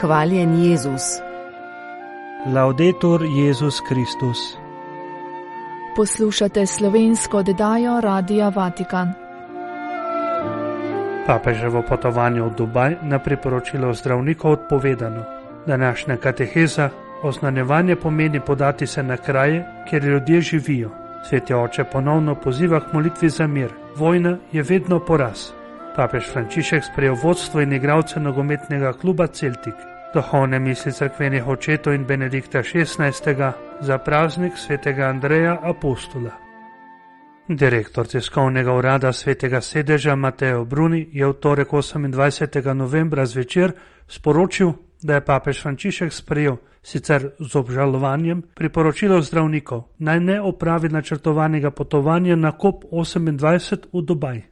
Hvaljen Jezus. Laudetur Jezus Kristus. Poslušate slovensko oddajo Radia Vatikan. Papeževo potovanje v Dubaj na priporočilo zdravnikov odpovedano. Današnja kateheza: oznanjevanje pomeni podati se na kraje, kjer ljudje živijo. Sveti oče ponovno poziva k molitvi za mir. Vojna je vedno poraz. Papež Frančišek sprejel vodstvo in igralce nogometnega kluba Celtic. Duhovne misli cerkvenih očetov in Benedikta XVI. Za praznik svetega Andreja Apostola. Direktor tiskovnega urada svetega sedeža Mateo Bruni je v torek 28. novembra zvečer sporočil, da je papež Frančišek sprejel, sicer z obžalovanjem, priporočilo zdravnikov, naj ne opravi načrtovanega potovanja na COP28 v Dubaj.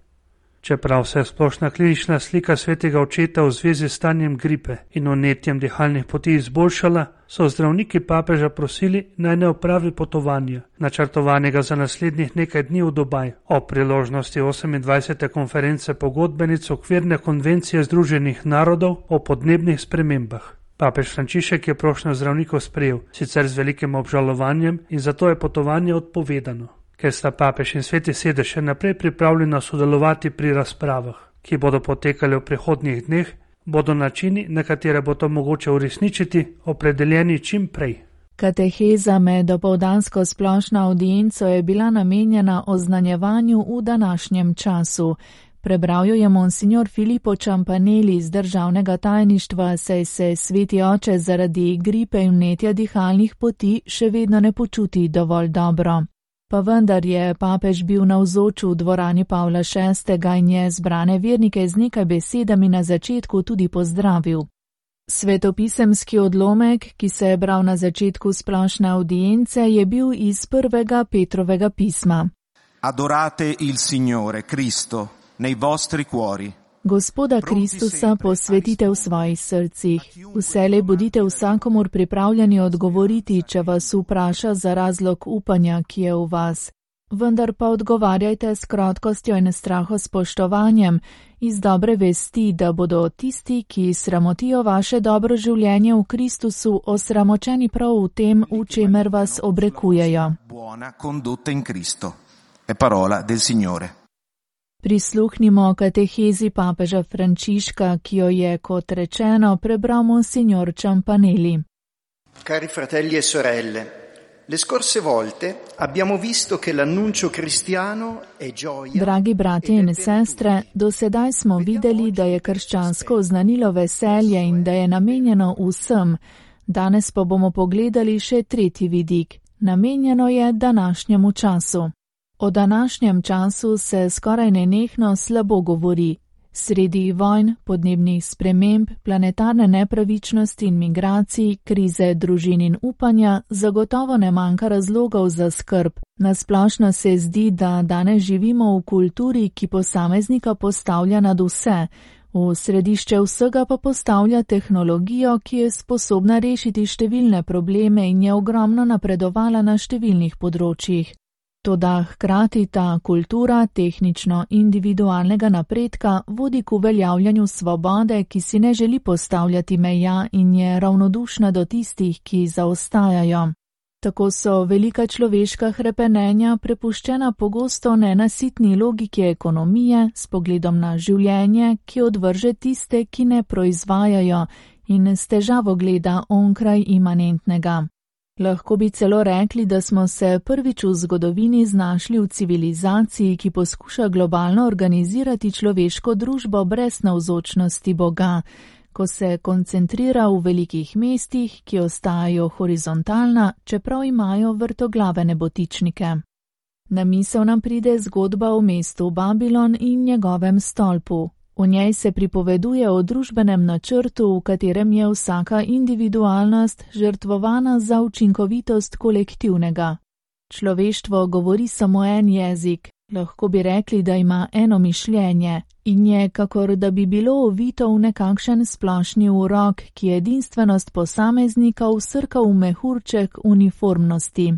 Čeprav se je splošna klinična slika svetega očeta v zvezi s stanjem gripe in vnetjem dihalnih poti izboljšala, so zdravniki papeža prosili, naj ne opravi potovanja, načrtovanega za naslednjih nekaj dni v Dubaj, ob priložnosti 28. konference pogodbenic okvirne konvencije Združenih narodov o podnebnih spremembah. Papež Frančišek je prošnjo zdravnikov sprejel, sicer z velikim obžalovanjem, in zato je potovanje odpovedano. Ker sta papež in sveti sedež še naprej pripravljena sodelovati pri razpravah, ki bodo potekale v prihodnjih dneh, bodo načini, na katere bo to mogoče uresničiti, opredeljeni čim prej. Kateheza med dopoldansko splošno audienco je bila namenjena oznanjevanju v današnjem času. Prebral jo je monsignor Filippo Ciampanelli iz državnega tajništva, saj se sveti oče zaradi gripe in vnetja dihalnih poti še vedno ne počuti dovolj dobro. Pa vendar je papež bil navzoč v dvorani Pavla VI. In je zbrane vernike z nekaj besedami na začetku tudi pozdravil. Svetopisemski odlomek, ki se je bral na začetku splošne audience, je bil iz prvega Petrovega pisma. Adorate il Signore Cristo nei vostri cuori. Gospoda Kristusa posvetite v svojih srcih. Vselej bodite vsakomur pripravljeni odgovoriti, če vas vpraša za razlog upanja, ki je v vas. Vendar pa odgovarjajte s krotkostjo in strahospoštovanjem, iz dobre vesti, da bodo tisti, ki sramotijo vaše dobro življenje v Kristusu, osramočeni prav v tem, v čemer vas obrekujejo. Buona condotta in Cristo. È parola del Signore. Prisluhnimo katehezi papeža Frančiška, ki jo je, kot rečeno, prebral monsignor Ciampanelli. Cari fratelli e sorelle, le scorse volte abbiamo visto che l'annuncio cristiano è gioia. Dragi brati in sestre, do sedaj smo videli, da je krščansko oznanilo veselje in da je namenjeno vsem. Danes pa bomo pogledali še tretji vidik. Namenjeno je današnjemu času. O današnjem času se skoraj nenehno slabo govori. Sredi vojn, podnebnih sprememb, planetarne nepravičnosti in migracij, krize družin in upanja, zagotovo ne manjka razlogov za skrb. Nasplošno se zdi, da danes živimo v kulturi, ki posameznika postavlja nad vse. V središče vsega pa postavlja tehnologijo, ki je sposobna rešiti številne probleme in je ogromno napredovala na številnih področjih. Toda hkrati ta kultura tehnično-individualnega napredka vodi k uveljavljanju svobode, ki si ne želi postavljati meja in je ravnodušna do tistih, ki zaostajajo. Tako so velika človeška hrepenenja prepuščena pogosto nenasitni logiki ekonomije s pogledom na življenje, ki odvrže tiste, ki ne proizvajajo in s težavo gleda onkraj imanentnega. Lahko bi celo rekli, da smo se prvič v zgodovini znašli v civilizaciji, ki poskuša globalno organizirati človeško družbo brez navzočnosti Boga, ko se koncentrira v velikih mestih, ki ostajajo horizontalna, čeprav imajo vrtoglave nebotičnike. Na misel nam pride zgodba o mestu Babilon in njegovem stolpu. V njej se pripoveduje o družbenem načrtu, v katerem je vsaka individualnost žrtvovana za učinkovitost kolektivnega. Človeštvo govori samo en jezik, lahko bi rekli, da ima eno mišljenje in je, kakor da bi bilo ovito v nekakšen splošni urok, ki edinstvenost posameznika vsrka v mehurček uniformnosti.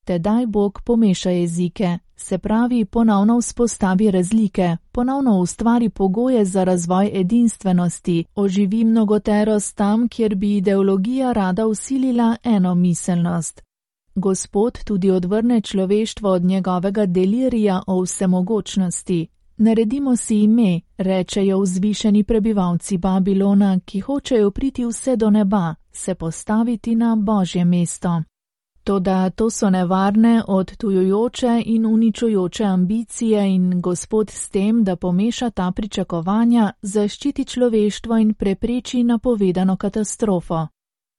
Tedaj Bog pomeša jezike, se pravi ponovno vzpostavi razlike, ponovno ustvari pogoje za razvoj edinstvenosti, oživi mnogoterost tam, kjer bi ideologija rada vsilila enomiselnost. Gospod tudi odvrne človeštvo od njegovega delirija o vsemogočnosti. Naredimo si ime, rečejo vzvišeni prebivalci Babilona, ki hočejo priti vse do neba, se postaviti na Božje mesto. Toda to so nevarne, odtujujoče in uničujoče ambicije in Gospod s tem, da pomeša ta pričakovanja, zaščiti človeštvo in prepreči napovedano katastrofo.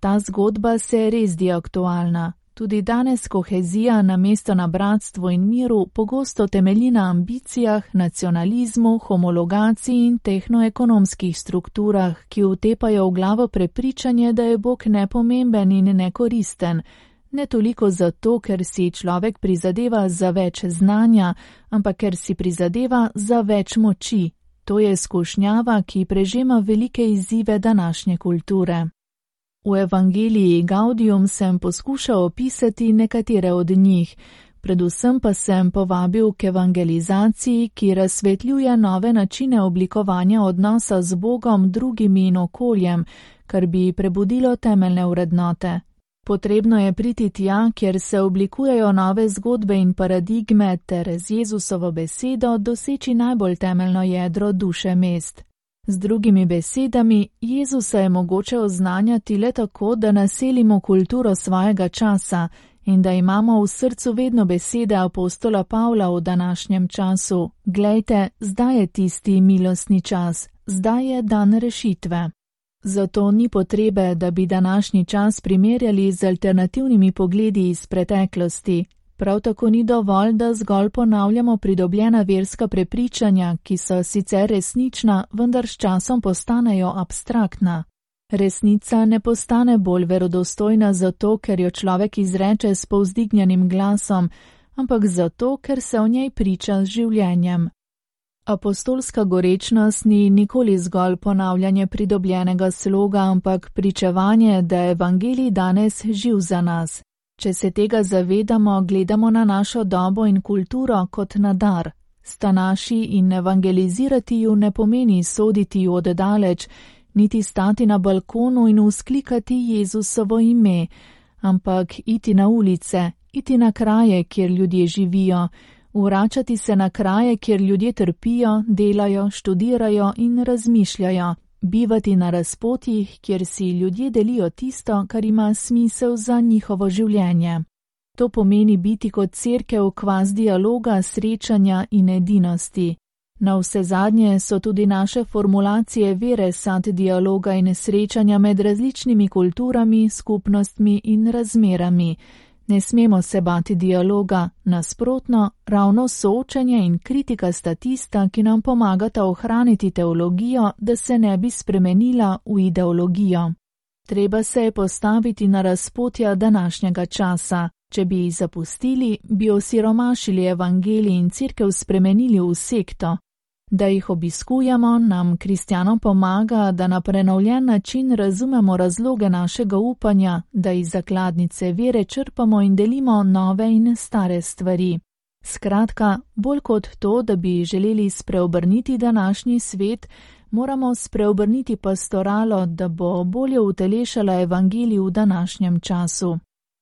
Ta zgodba se res zdi aktualna. Tudi danes kohezija namesto na bratstvu in miru pogosto temelji na ambicijah, nacionalizmu, homologaciji in tehnoekonomskih strukturah, ki utepajo v glavo prepričanje, da je Bog nepomemben in nekoristen. Ne toliko zato, ker si človek prizadeva za več znanja, ampak ker si prizadeva za več moči. To je skušnjava, ki prežema velike izzive današnje kulture. V Evangeliji Gaudium sem poskušal opisati nekatere od njih, predvsem pa sem povabil k evangelizaciji, ki razsvetljuje nove načine oblikovanja odnosa z Bogom, drugimi in okoljem, kar bi prebudilo temeljne vrednote. Potrebno je priti tja, kjer se oblikujejo nove zgodbe in paradigme, ter z Jezusovo besedo doseči najbolj temeljno jedro duše mest. Z drugimi besedami, Jezusa je mogoče oznanjati le tako, da naselimo kulturo svojega časa in da imamo v srcu vedno besede apostola Pavla v današnjem času. Glejte, zdaj je tisti milostni čas, zdaj je dan rešitve. Zato ni potrebe, da bi današnji čas primerjali z alternativnimi pogledi iz preteklosti. Prav tako ni dovolj, da zgolj ponavljamo pridobljena verska prepričanja, ki so sicer resnična, vendar s časom postanejo abstraktna. Resnica ne postane bolj verodostojna zato, ker jo človek izreče s povzdignjenim glasom, ampak zato, ker se o njej priča z življenjem. Apostolska gorečnost ni nikoli zgolj ponavljanje pridobljenega sloga, ampak pričevanje, da je evangelij danes živ za nas. Če se tega zavedamo, gledamo na našo dobo in kulturo kot na dar. Sta naši in evangelizirati ju ne pomeni soditi ju oddaleč, niti stati na balkonu in vzklikati Jezusovo ime, ampak iti na ulice, iti na kraje, kjer ljudje živijo, vračati se na kraje, kjer ljudje trpijo, delajo, študirajo in razmišljajo. Bivati na razpotjih, kjer si ljudje delijo tisto, kar ima smisel za njihovo življenje. To pomeni biti kot cerkev kvaz dialoga, srečanja in edinosti. Navsezadnje so tudi naše formulacije vere sad dialoga in srečanja med različnimi kulturami, skupnostmi in razmerami. Ne smemo se bati dialoga, nasprotno, ravno soočenje in kritika sta tista, ki nam pomagata ohraniti teologijo, da se ne bi spremenila v ideologijo. Treba se je postaviti na razpotja današnjega časa. Če bi jih zapustili, bi osiromašili evangelij in cerkev spremenili v sekto. Da jih obiskujemo, nam kristjanom pomaga, da na prenovljen način razumemo razloge našega upanja, da iz zakladnice vere črpamo in delimo nove in stare stvari. Skratka, bolj kot to, da bi želeli spreobrniti današnji svet, moramo spreobrniti pastoralo, da bo bolje utelešala evangelij v današnjem času.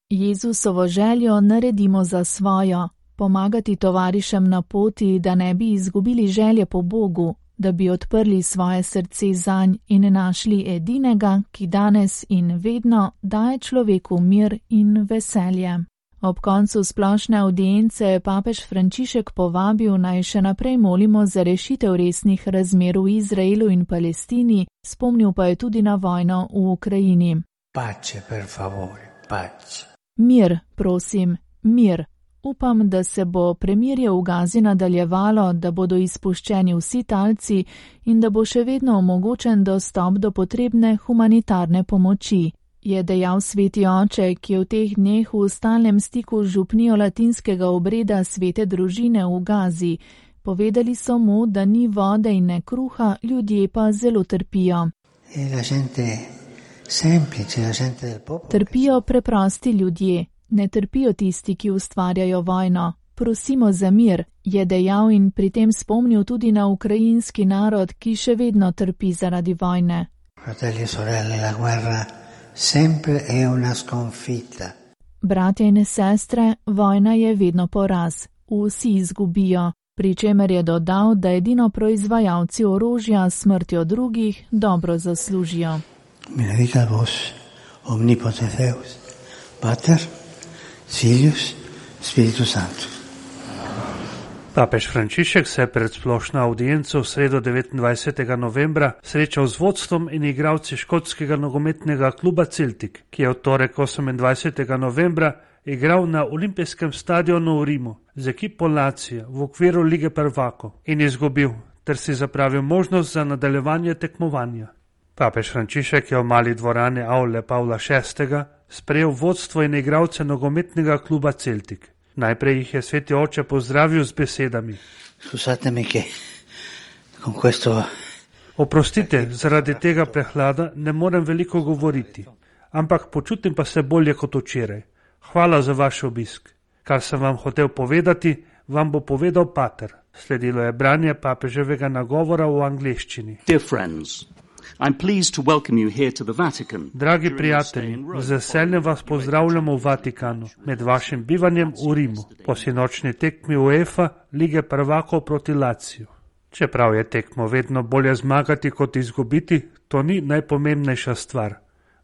Jezusovo željo naredimo za svojo. Pomagati tovarišem na poti, da ne bi izgubili želje po Bogu, da bi odprli svoje srce zanj in našli edinega, ki danes in vedno daje človeku mir in veselje. Ob koncu splošne avdience je papež Frančišek povabil, naj še naprej molimo za rešitev resnih razmer v Izraelu in Palestini, spomnil pa je tudi na vojno v Ukrajini. Pace, per favore, pace. Mir, prosim, mir. Upam, da se bo premirje v Gazi nadaljevalo, da bodo izpuščeni vsi talci in da bo še vedno omogočen dostop do potrebne humanitarne pomoči, je dejal sveti oče, ki je v teh dneh v stalnem stiku z župnijo latinskega obreda svete družine v Gazi. Povedali so mu, da ni vode in ne kruha, ljudje pa zelo trpijo. Trpijo preprosti ljudje. Ne trpijo tisti, ki ustvarjajo vojno. Prosimo za mir, je dejal in pri tem spomnil tudi na ukrajinski narod, ki še vedno trpi zaradi vojne. Fratelli e sorelle, la guerra sempre è una sconfitta. Bratje in sestre, vojna je vedno poraz. Vsi izgubijo, pri čemer je dodal, da edino proizvajalci orožja s smrtjo drugih dobro zaslužijo. Benedicat vos, omnipotens Deus, Pater, Filius, Spiritus Sanctus. Papež Frančišek se je pred splošno audienco v sredo 29. novembra srečal z vodstvom in igralci škotskega nogometnega kluba Celtic, ki je v torek 28. novembra igral na olimpijskem stadionu v Rimu z ekipo Lazio v okviru Lige prvakov in izgubil, ter si zapravil možnost za nadaljevanje tekmovanja. Papež Frančišek je v mali dvorani Aule Pavla VI. Sprejel vodstvo in igralce nogometnega kluba Celtic. Najprej jih je sveti oče pozdravil z besedami. Oprostite, zaradi tega prehlada ne morem veliko govoriti, ampak počutim pa se bolje kot včeraj. Hvala za vaš obisk. Kar sem vam hotel povedati, vam bo povedal pater. Sledilo je branje papeževega nagovora v angleščini. Dear friends, I'm pleased to welcome you here to the Vatican. Dragi prijatelji, z veseljem vas pozdravljamo v Vatikanu, med vašim bivanjem v Rimu, po sinočni tekmi UEFA Lige prvakov proti Laziju. Čeprav je tekmo vedno bolje zmagati kot izgubiti, to ni najpomembnejša stvar.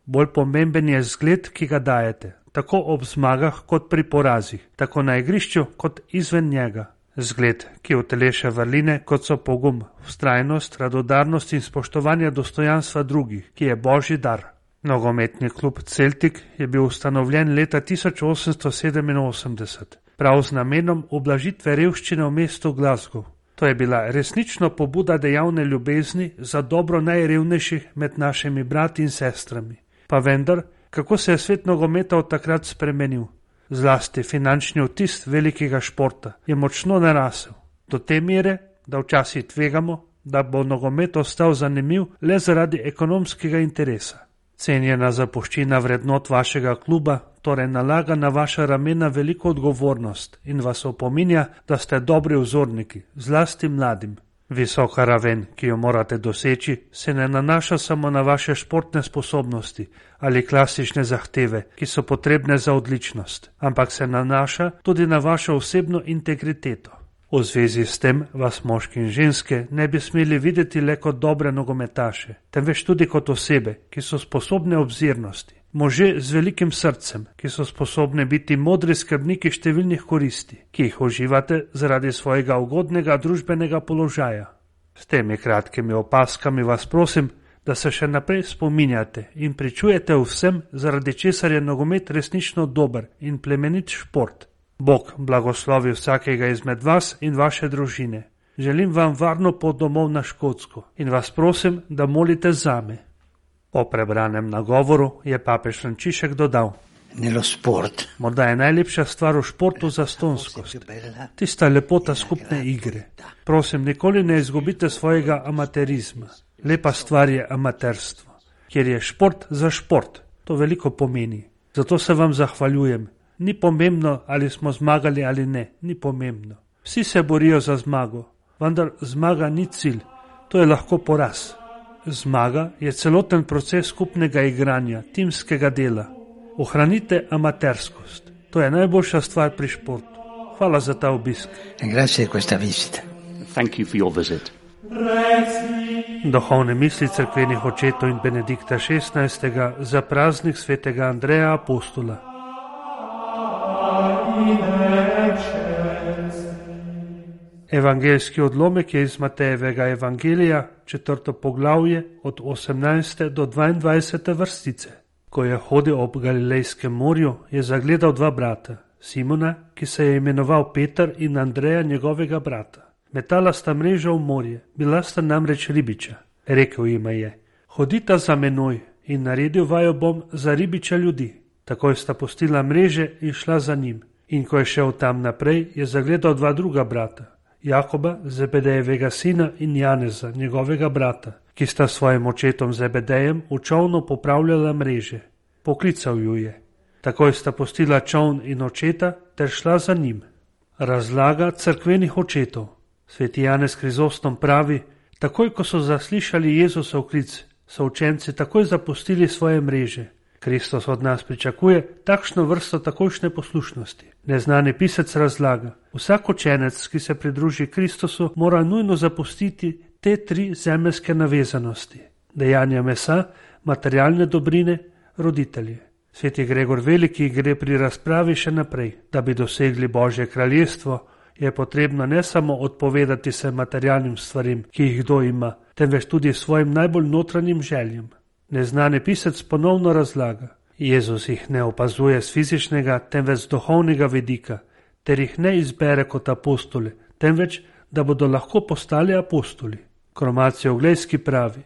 Bolj pomemben je zgled, ki ga dajete, tako ob zmagah kot pri porazih, tako na igrišču kot izven njega. Zgled, ki uteleša vrline, kot so pogum, vztrajnost, radodarnost in spoštovanje dostojanstva drugih, ki je božji dar. Nogometni klub Celtic je bil ustanovljen leta 1887, prav z namenom ublažitve revščine v mestu Glasgow. To je bila resnično pobuda dejavne ljubezni za dobro najrevnejših med našimi brati in sestrami. Pa vendar, kako se je svet nogometa od takrat spremenil? Zlasti finančni vtis velikega športa je močno narasel, do te mere, da včasih tvegamo, da bo nogomet ostal zanimiv le zaradi ekonomskega interesa. Cenjena zapuščina vrednot vašega kluba torej nalaga na vaša ramena veliko odgovornost in vas opominja, da ste dobri vzorniki, zlasti mladim. Visoka raven, ki jo morate doseči, se ne nanaša samo na vaše športne sposobnosti ali klasične zahteve, ki so potrebne za odličnost, ampak se nanaša tudi na vašo osebno integriteto. V zvezi s tem vas moški in ženske ne bi smeli videti le kot dobre nogometaše, temveč tudi kot osebe, ki so sposobne obzirnosti, može z velikim srcem, ki so sposobne biti modri skrbniki številnih koristi, ki jih uživate zaradi svojega ugodnega družbenega položaja. S temi kratkimi opaskami vas prosim, da se še naprej spominjate in pričujete vsem, zaradi česar je nogomet resnično dober in plemenit šport. Bog blagoslovi vsakega izmed vas in vaše družine. Želim vam varno pot domov na Škotsko in vas prosim, da molite zame. Po prebranem nagovoru je papež Frančišek dodal: morda je najlepša stvar v športu zastonskost, tista lepota skupne igre. Prosim, nikoli ne izgubite svojega amaterizma. Lepa stvar je amaterstvo, kjer je šport za šport. To veliko pomeni. Zato se vam zahvaljujem. Ni pomembno, ali smo zmagali ali ne, ni pomembno. Vsi se borijo za zmago, vendar zmaga ni cilj, to je lahko poraz. Zmaga je celoten proces skupnega igranja, timskega dela. Ohranite amaterskost, to je najboljša stvar pri športu. Hvala za ta obisk. Thank you for your visit. Duhovne misli cerkvenih očetov in Benedikta XVI. Za praznik svetega Andreja Apostola. Evangeljski odlomek je iz Matejevega evangelija, 4. poglavje, od 18. do 22. vrstice. Ko je hodil ob Galilejskem morju, je zagledal dva brata, Simona, ki se je imenoval Peter, in Andreja, njegovega brata. Metala sta mrežo v morje, bila sta namreč ribiča. Rekel jima je: hodita za menoj in naredil vaju bom za ribiča ljudi. Takoj sta pustila mreže in šla za njim. In ko je šel tam naprej, je zagledal dva druga brata, Jakoba, Zebedejevega sina, in Janeza, njegovega brata, ki sta svojim očetom Zebedejem v čolnu popravljala mreže. Poklical ju je: Takoj sta pustila čoln in očeta ter šla za njim. Razlaga cerkvenih očetov. Sveti Janez Krizostom pravi, takoj ko so zaslišali Jezusov klic, so učenci takoj zapustili svoje mreže. Kristus od nas pričakuje takšno vrsto takojšnje poslušnosti. Neznani pisec razlaga, vsak učenec, ki se pridruži Kristusu, mora nujno zapustiti te 3 zemeljske navezanosti: dejanja mesa, materialne dobrine, roditelje. Sveti Gregor Veliki gre pri razpravi še naprej. Da bi dosegli Božje kraljestvo, je potrebno ne samo odpovedati se materialnim stvarim, ki jih kdo ima, temveč tudi svojim najbolj notranjim željem. Neznani pisec ponovno razlaga, Jezus jih ne opazuje z fizičnega, temveč z duhovnega vidika, ter jih ne izbere kot apostole, temveč, da bodo lahko postali apostoli. Kromacijo Oglejski pravi,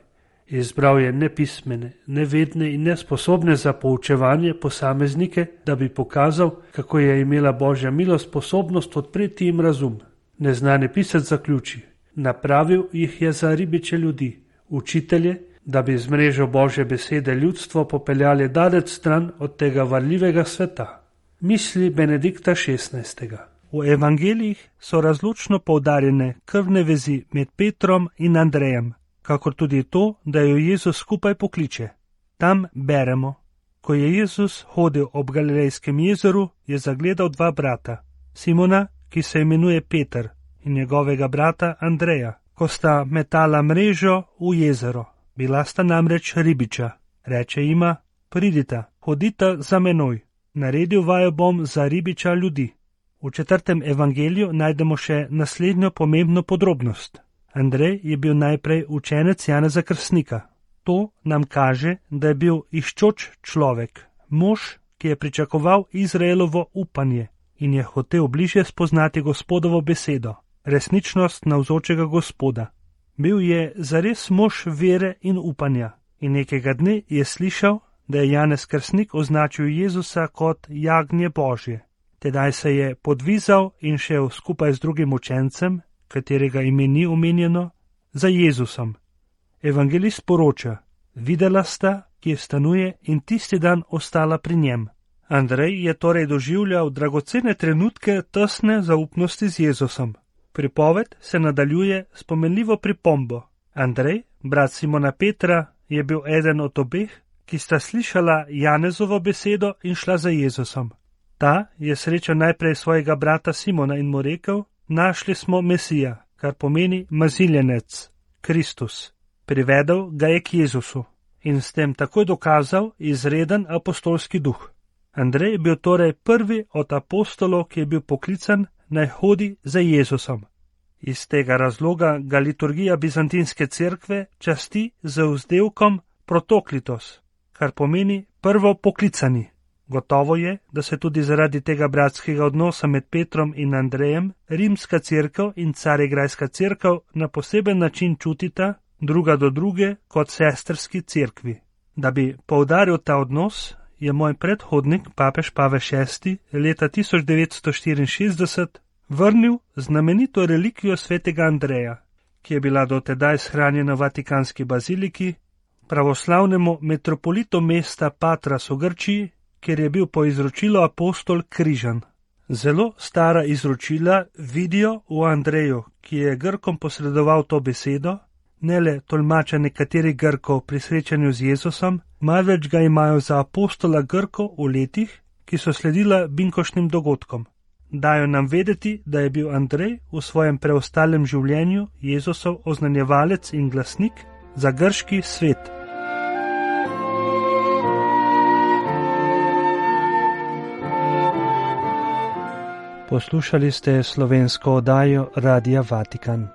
izbral je nepismene, nevedne in nesposobne za poučevanje posameznike, da bi pokazal, kako je imela Božja milost sposobnost odpreti jim razum. Neznani pisec zaključi, napravil jih je za ribiče ljudi, učitelje, da bi z mrežo Božje besede ljudstvo popeljali daleč stran od tega varljivega sveta. Misli Benedikta XVI. V evangelijih so razločno poudarjene krvne vezi med Petrom in Andrejem, kakor tudi to, da jo Jezus skupaj pokliče. Tam beremo, ko je Jezus hodil ob Galilejskem jezeru, je zagledal 2 brata, Simona, ki se imenuje Peter, in njegovega brata Andreja, ko sta metala mrežo v jezero. Bila sta namreč ribiča. Reče jima, pridita, hodita za menoj, naredil vaju bom za ribiča ljudi. V 4. evangeliju najdemo še naslednjo pomembno podrobnost. Andrej je bil najprej učenec Janeza Krstnika. To nam kaže, da je bil iščoč človek, mož, ki je pričakoval Izraelovo upanje in je hotel bližje spoznati Gospodovo besedo, resničnost navzočega Gospoda. Bil je zares mož vere in upanja in nekega dne je slišal, da je Janez Krstnik označil Jezusa kot jagnje Božje. Tedaj se je podvizal in šel skupaj z drugim učencem, katerega ime ni omenjeno, za Jezusom. Evangelist poroča, videla sta, kje stanuje in tisti dan ostala pri njem. Andrej je torej doživljal dragocene trenutke tesne zaupnosti z Jezusom. Pripoved se nadaljuje s pomenljivo pripombo. Andrej, brat Simona Petra, je bil eden od obeh, ki sta slišala Janezovo besedo in šla za Jezusom. Ta je srečal najprej svojega brata Simona in mu rekel, našli smo Mesija, kar pomeni maziljenec, Kristus. Privedel ga je k Jezusu in s tem takoj dokazal izreden apostolski duh. Andrej je bil torej prvi od apostolov, ki je bil poklican, naj hodi za Jezusom. Iz tega razloga ga liturgija bizantinske cerkve časti z vzdevkom protoklitos, kar pomeni prvo poklicani. Gotovo je, da se tudi zaradi tega bratskega odnosa med Petrom in Andrejem rimska cerkev in carigrajska cerkev na poseben način čutita druga do druge kot sestrski cerkvi. Da bi poudaril ta odnos, je moj predhodnik, papež Pavel VI, leta 1964 vrnil znamenito relikvijo svetega Andreja, ki je bila dotedaj shranjena v Vatikanski baziliki, pravoslavnemu metropolitu mesta Patras v Grčiji, kjer je bil po izročilu apostol križan. Zelo stara izročila vidijo v Andreju, ki je Grkom posredoval to besedo, ne le tolmača nekaterih Grkov pri srečanju z Jezusom, marveč ga imajo za apostola Grkov v letih, ki so sledila binkošnim dogodkom. Dajo nam vedeti, da je bil Andrej v svojem preostalem življenju Jezusov oznanjevalec in glasnik za grški svet. Poslušali ste slovensko oddajo Radia Vatikan.